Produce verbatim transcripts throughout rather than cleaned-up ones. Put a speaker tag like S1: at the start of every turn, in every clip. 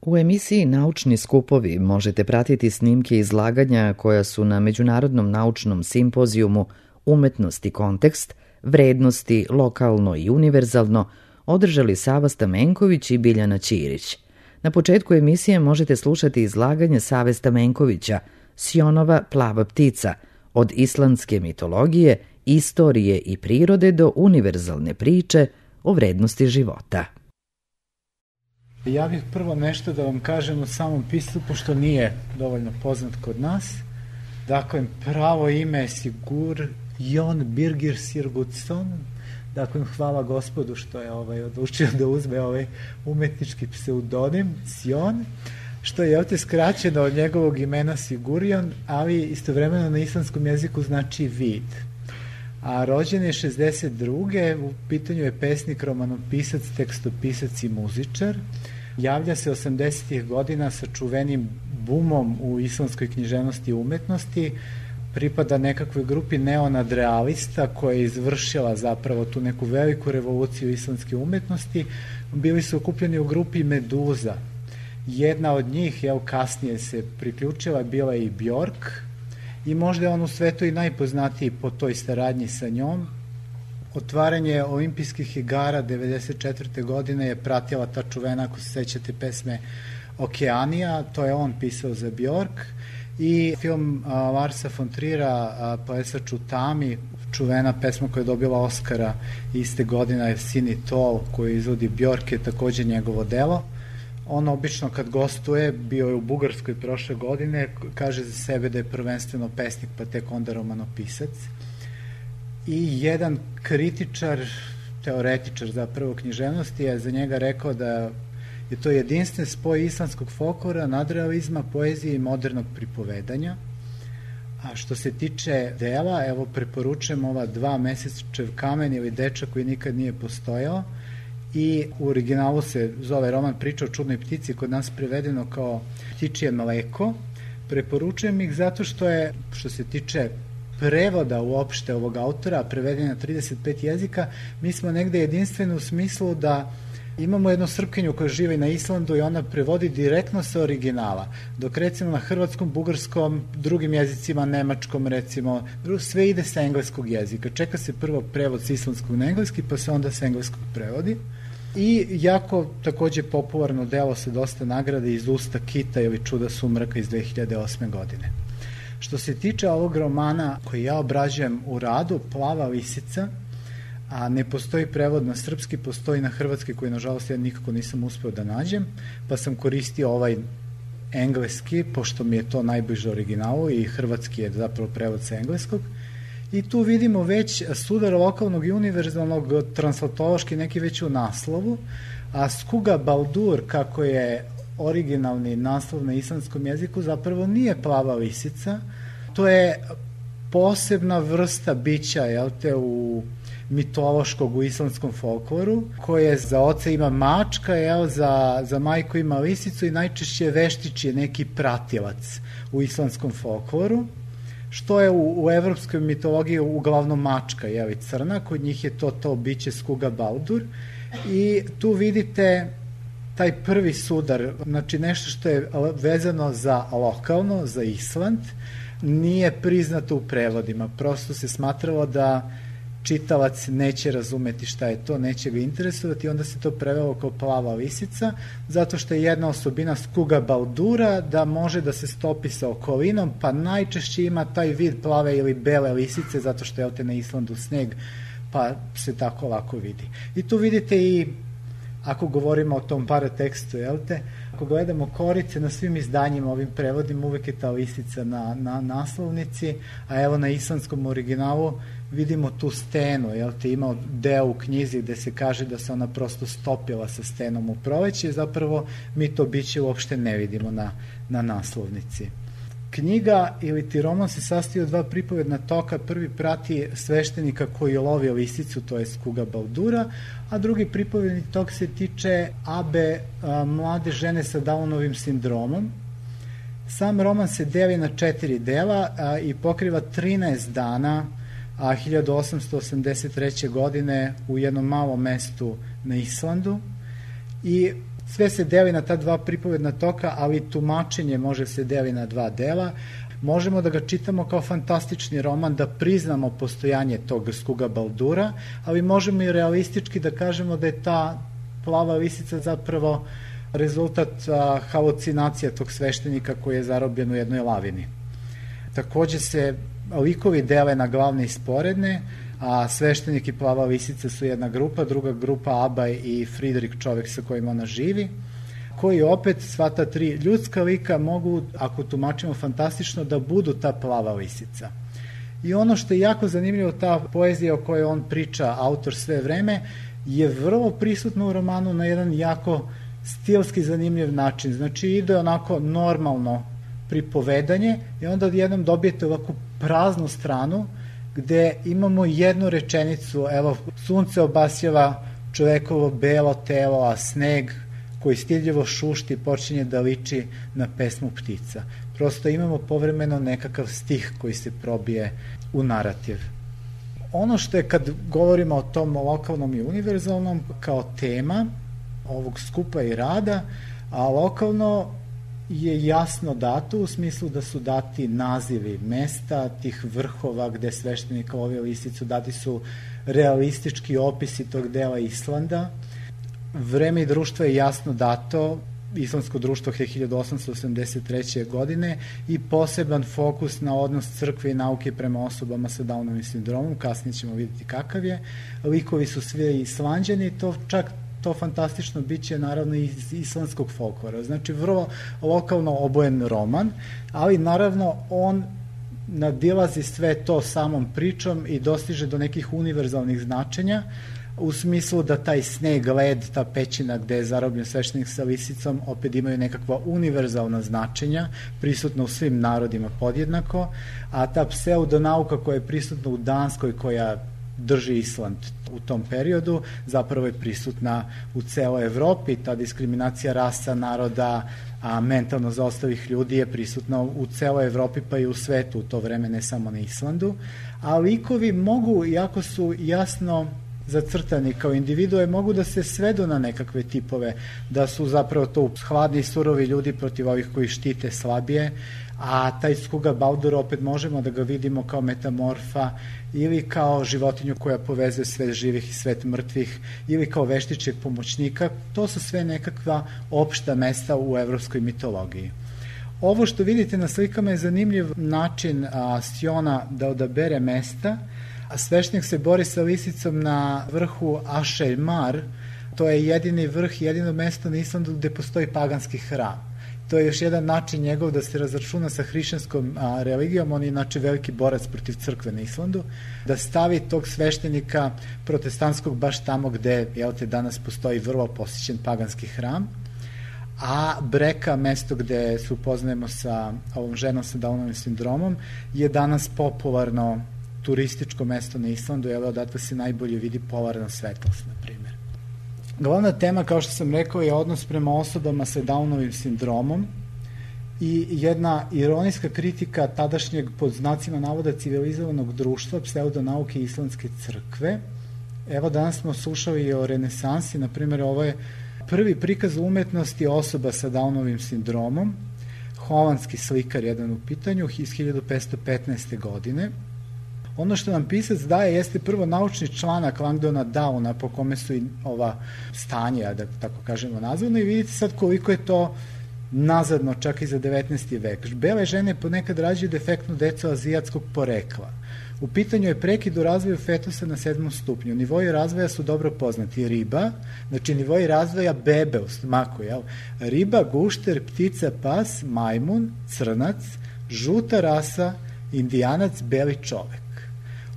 S1: U emisiji Naučni skupovi možete pratiti snimke izlaganja koja su na Međunarodnom naučnom simpozijumu Umetnost i kontekst, vrednosti lokalno i univerzalno održali Sava Stamenković i Biljana Ćirić. Na početku emisije možete slušati izlaganje Save Stamenkovića Sionova plava ptica, od islandske mitologije, istorije i prirode do univerzalne priče o vrednosti života.
S2: Ja bih prvo nešto da vam kažem o samom piscu, pošto nije dovoljno poznat kod nas. Dakle, pravo ime je Sigurjón Birgir Sigurdsson. Dakle, hvala Gospodu što je ovaj, odlučio da uzme ovaj umetnički pseudonim Sion, što je ovdje skraćeno od njegovog imena Sigurjón, ali istovremeno na islandskom jeziku znači vid. A rođen je šezdeset druge. U pitanju je pesnik, romanopisac, tekstopisac i muzičar. Javlja se osamdesetih godina sa čuvenim bumom u islandskoj književnosti i umetnosti. Pripada nekakvoj grupi neonadrealista koja je izvršila zapravo tu neku veliku revoluciju islandske umetnosti. Bili su okupljeni u grupi Meduza. Jedna od njih, jel, kasnije se priključila, bila je i Bjork, i možda je on u svetu i najpoznatiji po toj saradnji sa njom. Otvaranje olimpijskih igara devedeset četvrte godine je pratila ta čuvena, ako se sećate, pesme Okeanija, to je on pisao za Bjork, i film a, Larsa von Trier'a, Plesač u tami, čuvena pesma koja je dobila Oscara iste godine, je Sini Tol, koju izvodi Bjork, je takođe njegovo delo. On obično kad gostuje, bio je u Bugarskoj prošle godine, kaže za sebe da je prvenstveno pesnik, pa tek onda romanopisac. I jedan kritičar, teoretičar zapravo književnosti, je za njega rekao da je to jedinstven spoj islandskog folklora, nadrealizma, poezije i modernog pripovedanja. A što se tiče dela, evo preporučujem ova Dva mesečev kamen ili Dečak koji nikad nije postojao, i u originalu se zove roman Priča o čudnoj ptici, kod nas prevedeno kao Ptičije mleko. Preporučujem ih zato što je, što se tiče prevoda uopšte ovog autora, preveden na trideset pet jezika, mi smo negde jedinstveni u smislu da imamo jednu Srpkinju koja živi na Islandu i ona prevodi direktno sa originala, dok recimo na hrvatskom, bugarskom, drugim jezicima, nemačkom recimo, sve ide sa engleskog jezika. Čeka se prvo prevod sa islandskog na engleski, pa se onda sa engleskog prevodi. I jako takođe popularno delo sa dosta nagrade Iz usta kita ili Čuda sumraka iz dve hiljade osme godine. Što se tiče ovog romana koji ja obrađujem u radu, Plava lisica, a ne postoji prevod na srpski, postoji na hrvatski koji nažalost ja nikako nisam uspeo da nađem, pa sam koristio ovaj engleski, pošto mi je to najbliže originalu, i hrvatski je zapravo prevod sa engleskog. I tu vidimo već sudar lokalnog i univerzalnog, translatološki neki već u naslovu, a Skuga Baldur, kako je originalni naslov na islandskom jeziku, zapravo nije plava lisica, to je posebna vrsta bića, jel te, u mitološkog u islandskom folkloru, koje za oca ima mačka, jel, za, za majku ima lisicu i najčešće veštić je neki pratilac u islandskom folkloru, što je u, u evropskoj mitologiji uglavnom mačka, jel, crna, kod njih je to to biće Skuga Baldur, i tu vidite taj prvi sudar, znači nešto što je vezano za lokalno, za Island, nije priznato u prevodima, prosto se smatralo da čitalac neće razumeti šta je to, neće ga interesovati, onda se to prevelo kao plava lisica, zato što je jedna osobina Skuga Baldura da može da se stopi sa okolinom, pa najčešće ima taj vid plave ili bele lisice, zato što je ovde na Islandu sneg, pa se tako lako vidi. I tu vidite i, ako govorimo o tom paratekstu, jel te, ako gledamo korice na svim izdanjima, ovim prevodima, uvek je ta lisica na, na naslovnici, a evo na islandskom originalu vidimo tu stenu, jel te, ima deo u knjizi gde se kaže da se ona prosto stopila sa stenom u proleće, zapravo mi to biće uopšte ne vidimo na, na naslovnici. Knjiga ili ti roman se sastoji od dva pripovedna toka. Prvi prati sveštenika koji lovi lisicu, to je Skuga Baldura, a drugi pripovedni tok se tiče Abe, a, mlade žene sa Downovim sindromom. Sam roman se deli na četiri dela a, i pokriva trinaest dana, a hiljadu osamsto osamdeset treće godine u jednom malom mestu na Islandu. I sve se deli na ta dva pripovedna toka, ali tumačenje može se deli na dva dela. Možemo da ga čitamo kao fantastični roman, da priznamo postojanje tog Skuga Baldura, ali možemo i realistički da kažemo da je ta plava lisica zapravo rezultat a, halucinacija tog sveštenika koji je zarobljen u jednoj lavini. Takođe se likovi dele na glavne i sporedne, a sveštenik i plava lisica su jedna grupa, druga grupa Abaj i Friedrich, čovek sa kojim ona živi, koji opet sva ta tri ljudska lika mogu, ako tumačimo fantastično, da budu ta plava lisica. I ono što je jako zanimljivo, ta poezija o kojoj on priča, autor sve vreme, je vrlo prisutno u romanu na jedan jako stilski zanimljiv način. Znači ide onako normalno pripovedanje i onda odjednom dobijete ovako praznu stranu gde imamo jednu rečenicu, evo, sunce obasjava čovekovo belo telo, a sneg koji stidljivo šušti počinje da liči na pesmu ptica. Prosto imamo povremeno nekakav stih koji se probije u narativ. Ono što je kad govorimo o tom lokalnom i univerzalnom kao tema ovog skupa i rada, a lokalno je jasno dato u smislu da su dati nazivi mesta, tih vrhova gde sveštenik lovi lisicu, dati su realistički opisi tog dela Islanda. Vreme i društvo je jasno dato, islandsko društvo je hiljadu osamsto osamdeset treće. godine i poseban fokus na odnos crkve i nauke prema osobama sa Downovim sindromom, kasnije ćemo vidjeti kakav je. Likovi su svi Islanđani, to čak to fantastično biće naravno iz islandskog folklora. Znači vrlo lokalno obojen roman, ali naravno on nadilazi sve to samom pričom i dostiže do nekih univerzalnih značenja, u smislu da taj sneg, led, ta pećina gde je zarobljen sveštenik sa lisicom opet imaju nekakva univerzalna značenja, prisutna u svim narodima podjednako, a ta pseudonauka koja je prisutna u Danskoj, koja drži Island u tom periodu, zapravo je prisutna u celoj Evropi. Ta diskriminacija rasa, naroda, a mentalno zaostalih ljudi je prisutna u celoj Evropi pa i u svetu u to vreme, ne samo na Islandu. A likovi mogu, iako su jasno zacrtani kao individue, mogu da se svedu na nekakve tipove, da su zapravo to hladni i surovi ljudi protiv ovih koji štite slabije, a taj Skuga Baldur opet možemo da ga vidimo kao metamorfa ili kao životinju koja povezuje svet živih i svet mrtvih ili kao veštičeg pomoćnika. To su sve nekakva opšta mesta u evropskoj mitologiji. Ovo što vidite na slikama je zanimljiv način a, Siona da odabere mesta. Sveštenik se bori sa lisicom na vrhu Ašeljmar, to je jedini vrh, jedino mesto na Islandu gde postoji paganski hram. To je još jedan način njegov da se razračuna sa hrišćanskom a, religijom, on je znači veliki borac protiv crkve na Islandu, da stavi tog sveštenika protestantskog baš tamo gde, jel te, danas postoji vrlo posjećen paganski hram, a Breka, mesto gde se upoznajemo sa ovom ženom sa Downovim sindromom, je danas popularno turističko mesto na Islandu, jer odatle se najbolje vidi polarna svetlost, na primjer. Glavna tema, kao što sam rekao, je odnos prema osobama sa Downovim sindromom i jedna ironijska kritika tadašnjeg, pod znacima navoda, civilizovanog društva, pseudonauke i islandske crkve. Evo, danas smo slušali i o renesansi, na primjer, ovo je prvi prikaz umetnosti osoba sa Downovim sindromom, holandski slikar jedan u pitanju, iz hiljadu petsto petnaeste. godine. Ono što nam pisac daje jeste prvo naučni članak Langdona Downa po kome su i ova stanja, da tako kažemo, nazvano, i vidite sad koliko je to nazadno, čak i za devetnaesti. vek. Bele žene ponekad rađaju defektnu decu azijatskog porekla. U pitanju je prekid u razvoju fetusa na sedmom stupnju. Nivoji razvoja su dobro poznati. Riba, znači nivoji razvoja bebe u stomaku, jel? Riba, gušter, ptica, pas, majmun, crnac, žuta rasa, indijanac, beli čovek.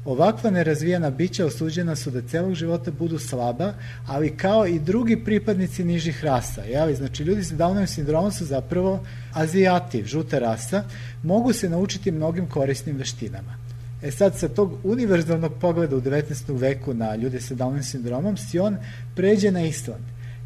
S2: Ovakva nerazvijena bića osuđena su da celog života budu slaba, ali kao i drugi pripadnici nižih rasa. Jeli? Znači, ljudi sa Downovim sindromom su zapravo azijati, žuta rasa, mogu se naučiti mnogim korisnim veštinama. E sad, sa tog univerzalnog pogleda u devetnaestom. veku na ljude sa Downovim sindromom, Sion pređe na Island.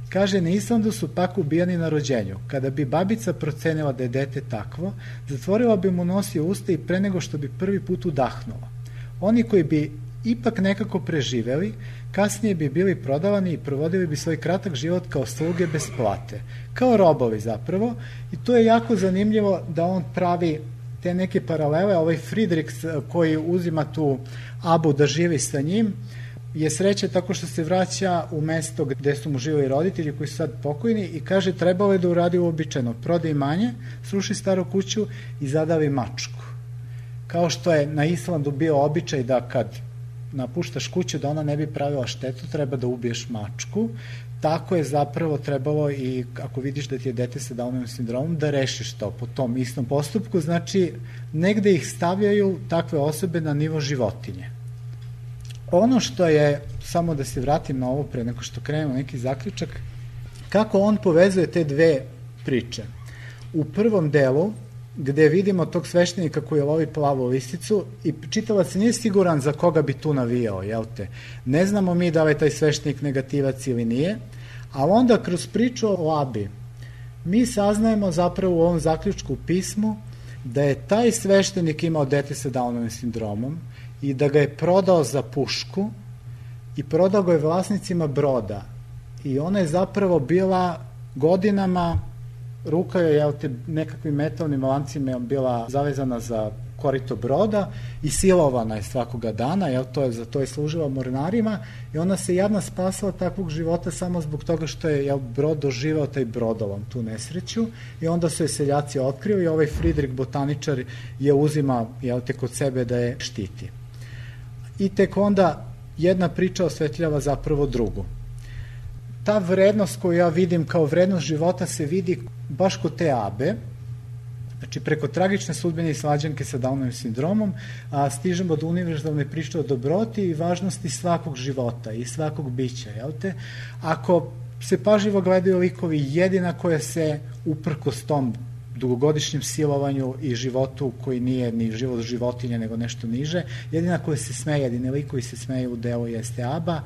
S2: Kaže, na Islandu su pak ubijani na rođenju. Kada bi babica procenila da je dete takvo, zatvorila bi mu nos i usta i pre nego što bi prvi put udahnula. Oni koji bi ipak nekako preživeli, kasnije bi bili prodavani i provodili bi svoj kratak život kao sluge bez plate, kao robovi zapravo, i to je jako zanimljivo da on pravi te neke paralele. Ovaj Friedrich koji uzima tu Abu da živi sa njim je sreće tako što se vraća u mesto gde su mu živeli roditelji koji su sad pokojni i kaže trebalo je da uradi uobičajeno, proda imanje, sruši staru kuću i zadavi mačku. Kao što je na Islandu bio običaj da kad napuštaš kuću da ona ne bi pravila štetu, treba da ubiješ mačku, tako je zapravo trebalo i ako vidiš da ti je dete sa Downovim sindromom da rešiš to po tom istom postupku, znači negde ih stavljaju takve osobe na nivo životinje. Ono što je, samo da se vratim na ovo pre nego što krenemo neki zaključak, kako on povezuje te dve priče. U prvom delu, gde vidimo tog sveštenika koji lovi plavu lisicu i čitalac nije siguran za koga bi tu navijao, jel te? Ne znamo mi da li je taj sveštenik negativac ili nije, ali onda kroz priču o Abi mi saznajemo zapravo u ovom zaključku u pismu da je taj sveštenik imao dete sa Downovim sindromom i da ga je prodao za pušku i prodao ga je vlasnicima broda i ona je zapravo bila godinama, ruka je jel te, nekakvim metalnim lancima bila zavezana za korito broda i silovana je svakoga dana, jel, to je, za to je služila mornarima i ona se jadna spasala takvog života samo zbog toga što je jel, brod doživao taj brodolom, tu nesreću, i onda su je seljaci otkrili i ovaj Friedrich botaničar je uzima jel, te, kod sebe da je štiti. I tek onda jedna priča osvetljava zapravo drugu. Ta vrednost koju ja vidim kao vrednost života se vidi baš kod te Abe, znači preko tragične sudbine i svađanke sa Downovim sindromom, a stižemo do univerzalne priče o dobroti i važnosti svakog života i svakog bića, jel te? Ako se pažljivo gledaju likovi, jedina koja se uprkos tom dugogodišnjem silovanju i životu koji nije ni život životinje nego nešto niže, jedina koja se smeje, jedine likovi se smeje u delu jeste Aba,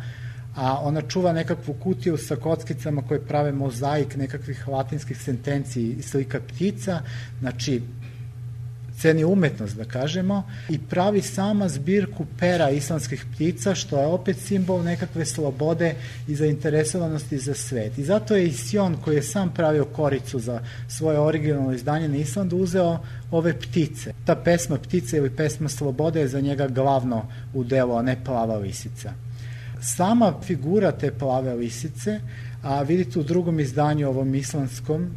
S2: a ona čuva nekakvu kutiju sa kockicama koje prave mozaik nekakvih latinskih sentenciji i slika ptica, znači ceni umetnost da kažemo, i pravi sama zbirku pera islandskih ptica, što je opet simbol nekakve slobode i zainteresovanosti za svet. I zato je i Sion, koji je sam pravio koricu za svoje originalno izdanje na Islandu, uzeo ove ptice. Ta pesma Ptice ili pesma Slobode je za njega glavno u delu, a ne Plava lisica. Sama figura te plave lisice, a vidite u drugom izdanju, ovom islandskom,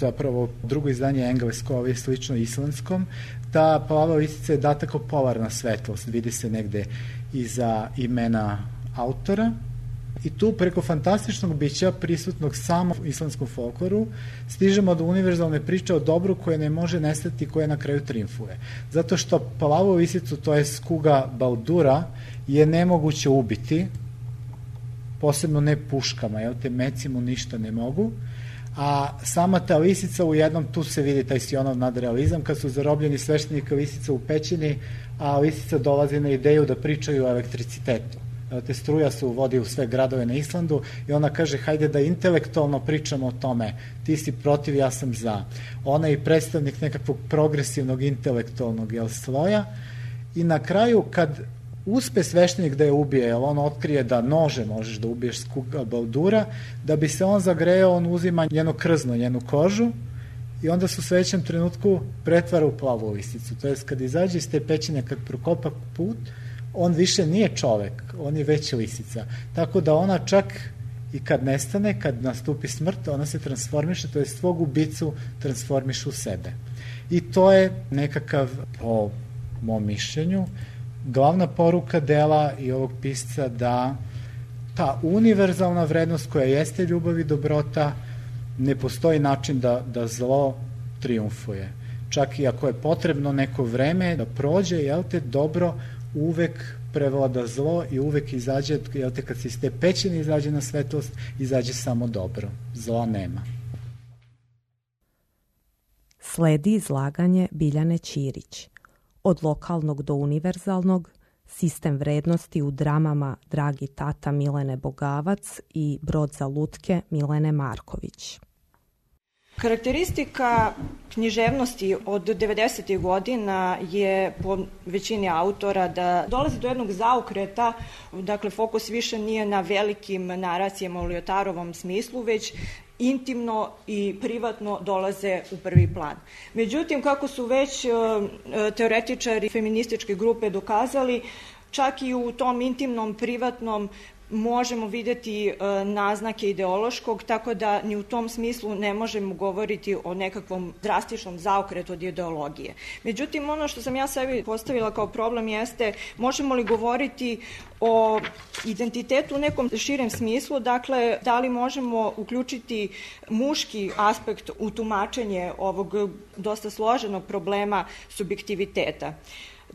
S2: zapravo drugo izdanje je englesko, ovo je slično islandskom, ta plava lisica je data kao polarna svetlost, vidi se negde iza imena autora, i tu preko fantastičnog bića prisutnog samo u islandskom folkloru stižemo do univerzalne priče o dobru koje ne može nestati, koje na kraju triumfuje. Zato što plavu lisicu, to je skuga Baldura, je nemoguće ubiti, posebno ne puškama, jel te, meci mu ništa ne mogu, a sama ta lisica u jednom, tu se vidi taj Sionov nadrealizam, kad su zarobljeni sveštenika lisica u pećini, a lisica dolazi na ideju da pričaju o elektricitetu. Te struja se uvodi u sve gradove na Islandu i ona kaže hajde da intelektualno pričamo o tome, ti si protiv, ja sam za. Ona je predstavnik nekakvog progresivnog intelektualnog jel, sloja i na kraju kad uspe sveštenik da je ubije, jer on otkrije da nože možeš da ubiješ skuga Baldura, da bi se on zagreo, on uzima njeno krzno, njenu kožu i onda se u sledećem trenutku pretvara u plavu lisicu. To je kad izađe iz te pećine, kad prokopa put, on više nije čovek, on je već lisica. Tako da ona čak i kad nestane, kad nastupi smrt, ona se transformiše, to je svog ubicu transformiše u sebe. I to je nekakav, po mom mišljenju, glavna poruka dela i ovog pisca da ta univerzalna vrednost koja jeste ljubav i dobrota, ne postoji način da, da zlo triumfuje. Čak i ako je potrebno neko vreme da prođe, jel te, dobro uvek prevlada zlo i uvek izađe, jel te, kad se iz te pećine izađe na svetlost, izađe samo dobro. Zla nema.
S3: Sledi izlaganje Biljane Ćirić. Od lokalnog do univerzalnog, sistem vrednosti u dramama Dragi tata Milene Bogavac i Brod za lutke Milene Marković.
S4: Karakteristika književnosti od devedesetih godina je po većini autora da dolazi do jednog zaokreta, dakle fokus više nije na velikim naracijama u Ljotarovom smislu, već intimno i privatno dolaze u prvi plan. Međutim, kako su već teoretičari feminističke grupe dokazali, čak i u tom intimnom, privatnom možemo videti naznake ideološkog, tako da ni u tom smislu ne možemo govoriti o nekakvom drastičnom zaokretu od ideologije. Međutim, ono što sam ja sebi postavila kao problem jeste, možemo li govoriti o identitetu u nekom širem smislu, dakle, da li možemo uključiti muški aspekt u tumačenje ovog dosta složenog problema subjektiviteta.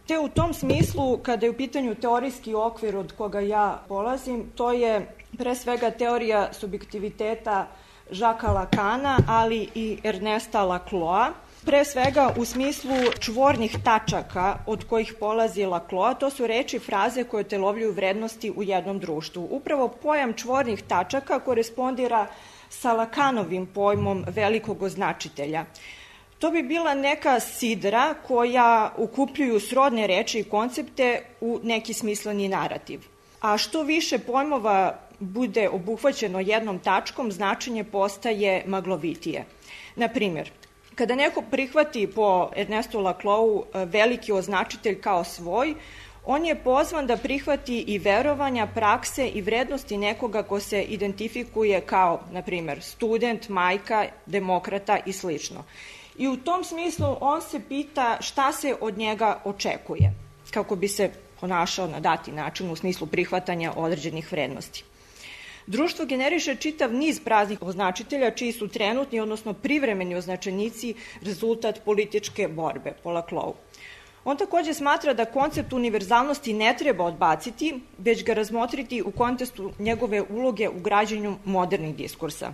S4: Te u tom smislu, kada je u pitanju teorijski okvir od koga ja polazim, to je pre svega teorija subjektiviteta Jacquesa Lacana, ali i Ernesta Lacloa. Pre svega u smislu čvornih tačaka od kojih polazi Laclau, to su reči i fraze koje telovljuju vrednosti u jednom društvu. Upravo pojam čvornih tačaka korespondira sa Lacanovim pojmom velikog označitelja. To bi bila neka sidra koja ukupljuju srodne reči i koncepte u neki smisleni narativ. A što više pojmova bude obuhvaćeno jednom tačkom, značenje postaje maglovitije. Na primjer, kada neko prihvati po Ernestu Laclau veliki označitelj kao svoj, on je pozvan da prihvati i verovanja, prakse i vrednosti nekoga ko se identifikuje kao, na primjer, student, majka, demokrata i slično. I u tom smislu on se pita šta se od njega očekuje, kako bi se ponašao na dati način u smislu prihvatanja određenih vrednosti. Društvo generiše čitav niz praznih označitelja čiji su trenutni, odnosno privremeni označenici rezultat političke borbe po Laclau. On takođe smatra da koncept univerzalnosti ne treba odbaciti, već ga razmotriti u kontekstu njegove uloge u građenju modernih diskursa.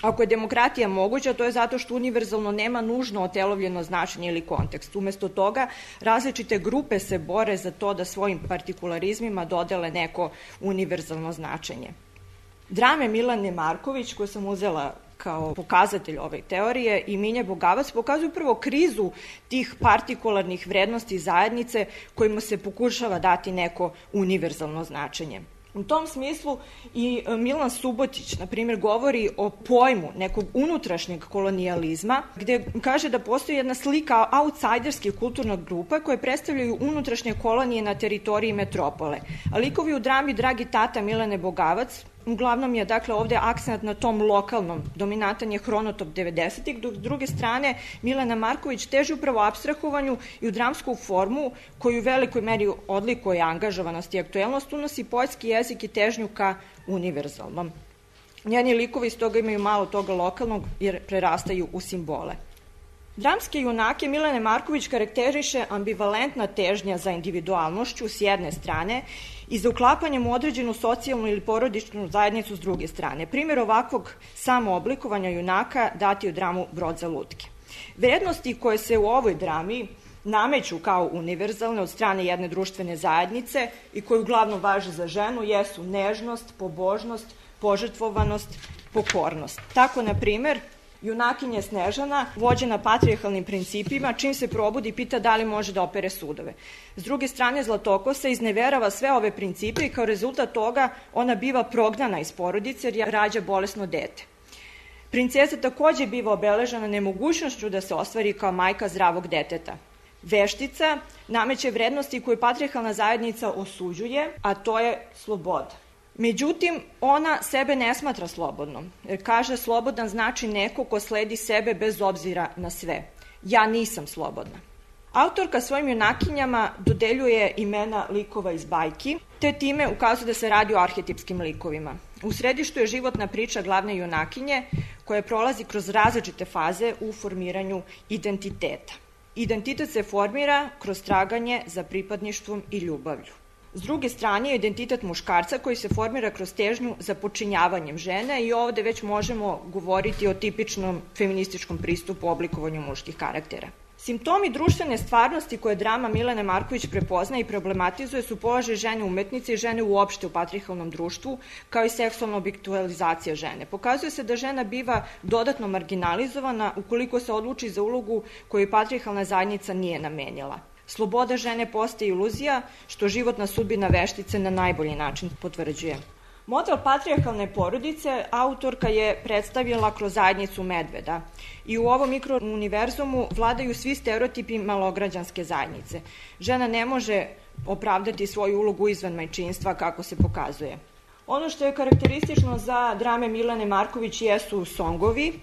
S4: Ako je demokratija moguća, to je zato što univerzalno nema nužno otelovljeno značenje ili kontekst. Umesto toga, različite grupe se bore za to da svojim partikularizmima dodele neko univerzalno značenje. Drame Milane Marković, koje sam uzela kao pokazatelj ove teorije, i Minje Bogavac pokazuju prvo krizu tih partikularnih vrednosti zajednice kojima se pokušava dati neko univerzalno značenje. U tom smislu i Milan Subotić, na primjer, govori o pojmu nekog unutrašnjeg kolonijalizma, gde kaže da postoji jedna slika outsiderskih kulturnog grupa koje predstavljaju unutrašnje kolonije na teritoriji metropole. A likovi u drami Dragi tata Milane Bogavac, uglavnom je dakle ovde akcent na tom lokalnom, dominantan je hronotop devedesetih, dok s druge strane Milana Marković teži upravo apstrahovanju i u dramsku formu koju u velikoj meri odlikuje angažovanost i aktuelnost, unosi poetski jezik i težnju ka univerzalnom. Njeni likovi iz toga imaju malo toga lokalnog jer prerastaju u simbole. Dramske junake Milane Marković karakteriše ambivalentna težnja za individualnošću s jedne strane i za uklapanjem u određenu socijalnu ili porodičnu zajednicu s druge strane. Primjer ovakvog samooblikovanja junaka dati u dramu Brod za lutke. Vrednosti koje se u ovoj drami nameću kao univerzalne od strane jedne društvene zajednice i koje uglavnom važe za ženu jesu nežnost, pobožnost, požrtvovanost, pokornost. Tako, na primjer, junakinja Snežana, vođena patrijarhalnim principima, čim se probudi pita da li može da opere sudove. S druge strane, Zlatokosa izneverava sve ove principe i kao rezultat toga ona biva prognana iz porodice jer rađa bolesno dete. Princeza takođe biva obeležena nemogućnošću da se ostvari kao majka zdravog deteta. Veštica nameće vrednosti koju patrijarhalna zajednica osuđuje, a to je sloboda. Međutim, ona sebe ne smatra slobodnom, jer kaže slobodan znači neko ko sledi sebe bez obzira na sve. Ja nisam slobodna. Autorka svojim junakinjama dodeljuje imena likova iz bajki, te time ukazuje da se radi o arhetipskim likovima. U središtu je životna priča glavne junakinje koja prolazi kroz različite faze u formiranju identiteta. Identitet se formira kroz traganje za pripadništvom i ljubavlju. S druge strane je identitet muškarca koji se formira kroz težnju za počinjavanjem žene i ovde već možemo govoriti o tipičnom feminističkom pristupu oblikovanju muških karaktera. Simptomi društvene stvarnosti koje drama Milene Marković prepoznaje i problematizuje su položaj žene umetnice i žene uopšte u patrijarhalnom društvu, kao i seksualna objektualizacija žene. Pokazuje se da žena biva dodatno marginalizovana ukoliko se odluči za ulogu koju patrijarhalna zajednica nije namenila. Sloboda žene postaje iluzija, što životna sudbina veštice na najbolji način potvrđuje. Model patrijarhalne porodice autorka je predstavila kroz zajednicu medveda i u ovom mikrouniverzumu vladaju svi stereotipi malograđanske zajednice. Žena ne može opravdati svoju ulogu izvan majčinstva kako se pokazuje. Ono što je karakteristično za drame Milene Marković jesu songovi,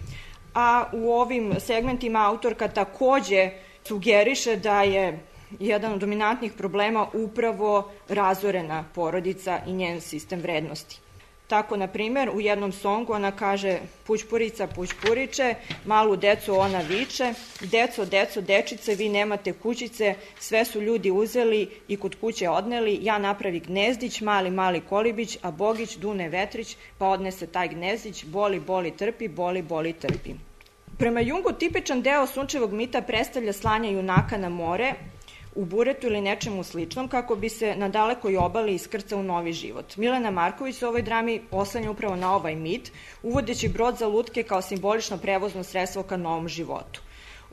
S4: a u ovim segmentima autorka takođe sugeriše da je jedan od dominantnih problema upravo razorena porodica i njen sistem vrednosti. Tako, na primer, u jednom songu ona kaže: pućpurica, pućpuriče, malu decu ona viče, deco, deco, dečice, vi nemate kućice, sve su ljudi uzeli i kod kuće odneli, ja napravi gnezdić, mali, mali kolibić, a Bogić dune vetrić, pa odnese taj gnezdić, boli, boli, trpi, boli, boli, trpi. Prema Jungu, tipičan deo sunčevog mita predstavlja slanje junaka na more, u buretu ili nečemu sličnom, kako bi se na dalekoj obali iskrcao u novi život. Milena Marković u ovoj drami oslanja upravo na ovaj mit, uvodeći brod za lutke kao simbolično prevozno sredstvo ka novom životu.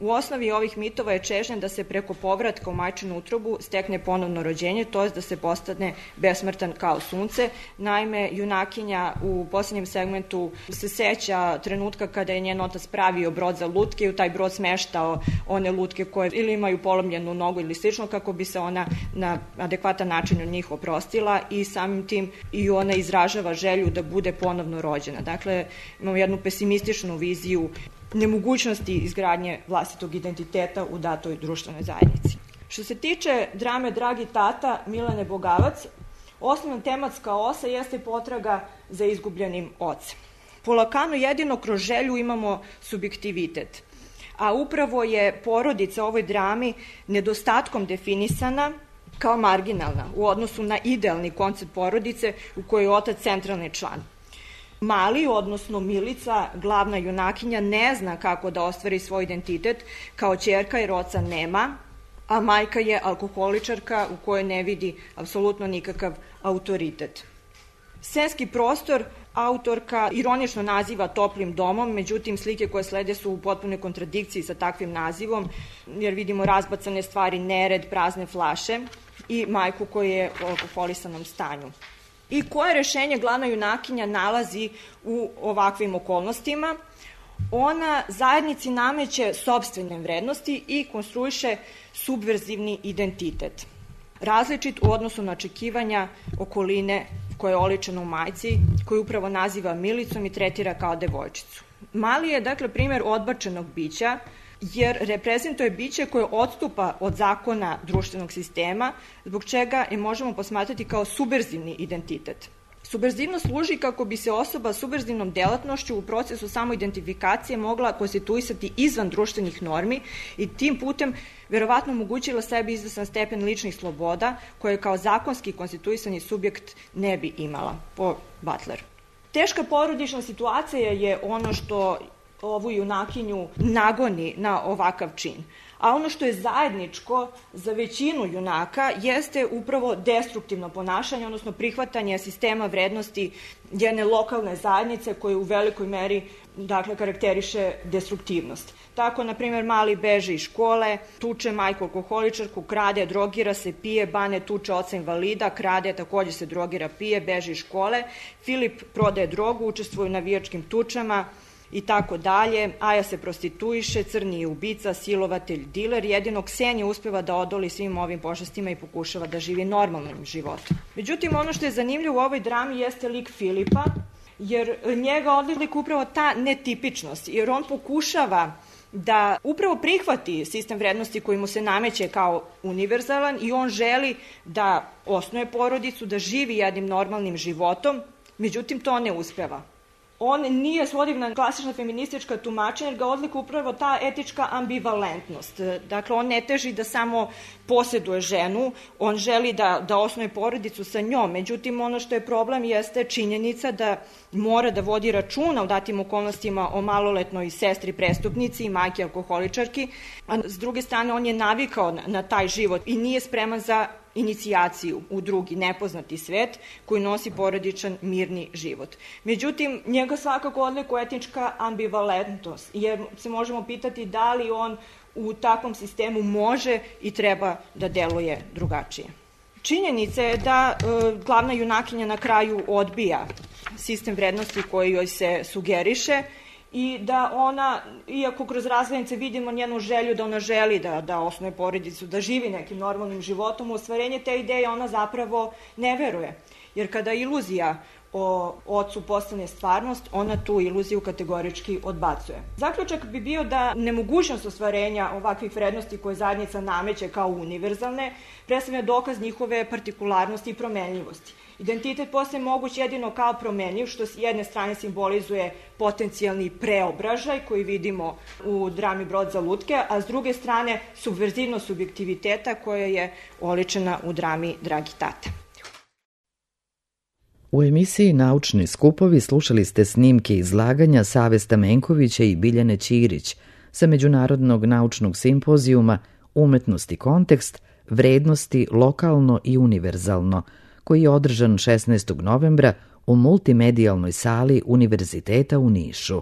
S4: U osnovi ovih mitova je čežnja da se preko povratka u majčinu utrobu stekne ponovno rođenje, to je da se postane besmrtan kao sunce. Naime, junakinja u posljednjem segmentu se seća trenutka kada je njen otac pravio brod za lutke i u taj brod smeštao one lutke koje ili imaju polomljenu nogu ili slično, kako bi se ona na adekvatan način od njih oprostila i samim tim i ona izražava želju da bude ponovno rođena. Dakle, imamo jednu pesimističnu viziju nemogućnosti izgradnje vlastitog identiteta u datoj društvenoj zajednici. Što se tiče drame Dragi tata Milene Bogavac, osnovna tematska osa jeste potraga za izgubljenim ocem. Po Lakanu jedino kroz želju imamo subjektivitet, a upravo je porodica u ovoj drami nedostatkom definisana kao marginalna u odnosu na idealni koncept porodice u kojoj je otac centralni član. Mali, odnosno Milica, glavna junakinja, ne zna kako da ostvari svoj identitet kao ćerka jer oca nema, a majka je alkoholičarka u kojoj ne vidi apsolutno nikakav autoritet. Scenski prostor autorka ironično naziva toplim domom, međutim slike koje slede su u potpunoj kontradikciji sa takvim nazivom, jer vidimo razbacane stvari, nered, prazne flaše i majku koja je u alkoholisanom stanju. I koje rešenje glavna junakinja nalazi u ovakvim okolnostima? Ona zajednici nameće sopstvene vrednosti i konstruiše subverzivni identitet. Različit u odnosu na očekivanja okoline koja je oličena u majci, koju upravo naziva Milicom i tretira kao devojčicu. Mali je, dakle, primjer odbačenog bića, jer reprezentuje biće koje odstupa od zakona društvenog sistema, zbog čega je možemo posmatrati kao subverzivni identitet. Subverzivnost služi kako bi se osoba s subverzivnom delatnošću u procesu samoidentifikacije mogla konstituisati izvan društvenih normi i tim putem verovatno omogućila sebi izvesan stepen ličnih sloboda koje kao zakonski konstituisani subjekt ne bi imala, po Butleru. Teška porodična situacija je ono što ovu junakinju nagoni na ovakav čin. A ono što je zajedničko za većinu junaka jeste upravo destruktivno ponašanje, odnosno prihvatanje sistema vrednosti jedne lokalne zajednice koje u velikoj meri, dakle, karakteriše destruktivnost. Tako, na primjer, Mali beže iz škole, tuče majku alkoholičarku, krade, drogira se, pije, Bane tuče oca invalida, krade, takođe se drogira, pije, beže iz škole, Filip prodaje drogu, učestvuje u navijačkim tučama, i tako dalje. Aja se prostituiše, Crni je ubica, silovatelj, diler, jedino Ksenija uspeva da odoli svim ovim pošastima i pokušava da živi normalnim životom. Međutim, ono što je zanimljivo u ovoj drami jeste lik Filipa, jer njega odlikuje upravo ta netipičnost, jer on pokušava da upravo prihvati sistem vrednosti koji mu se nameće kao univerzalan i on želi da osnuje porodicu, da živi jednim normalnim životom, međutim to ne uspeva. on nije svodiv na klasična feministička tumačenja, jer ga odlikuje upravo ta etička ambivalentnost. Dakle, on ne teži da samo posjeduje ženu, on želi da, da osnuje porodicu sa njom. Međutim, ono što je problem jeste činjenica da mora da vodi računa u datim okolnostima o maloletnoj sestri prestupnici i majke alkoholičarki, a s druge strane on je navikao na, na taj život i nije spreman za inicijaciju u drugi, nepoznati svet koji nosi porodičan, mirni život. Međutim, njega svakako odlikuje etička ambivalentnost, jer se možemo pitati da li on u takvom sistemu može i treba da deluje drugačije. Činjenica je da e, glavna junakinja na kraju odbija sistem vrednosti koji joj se sugeriše i da ona, iako kroz razglednice vidimo njenu želju da ona želi da, da osnuje porodicu, da živi nekim normalnim životom, u ostvarenje te ideje ona zapravo ne veruje. Jer kada iluzija o ocu postane stvarnost, ona tu iluziju kategorički odbacuje. Zaključak bi bio da nemogućnost ostvarenja ovakvih vrednosti koje zajednica nameće kao univerzalne predstavlja dokaz njihove partikularnosti i promenljivosti. Identitet postaje moguć jedino kao promenljiv, što s jedne strane simbolizuje potencijalni preobražaj koji vidimo u drami Brod za lutke, a s druge strane subverzivnost subjektiviteta koja je oličena u drami Dragi tata.
S1: U emisiji Naučni skupovi slušali ste snimke izlaganja Save Stamenkovića i Biljane Ćirić sa Međunarodnog naučnog simpozijuma Umetnost i kontekst, vrednosti lokalno i univerzalno, koji je održan šesnaestog novembra u multimedijalnoj sali Univerziteta u Nišu.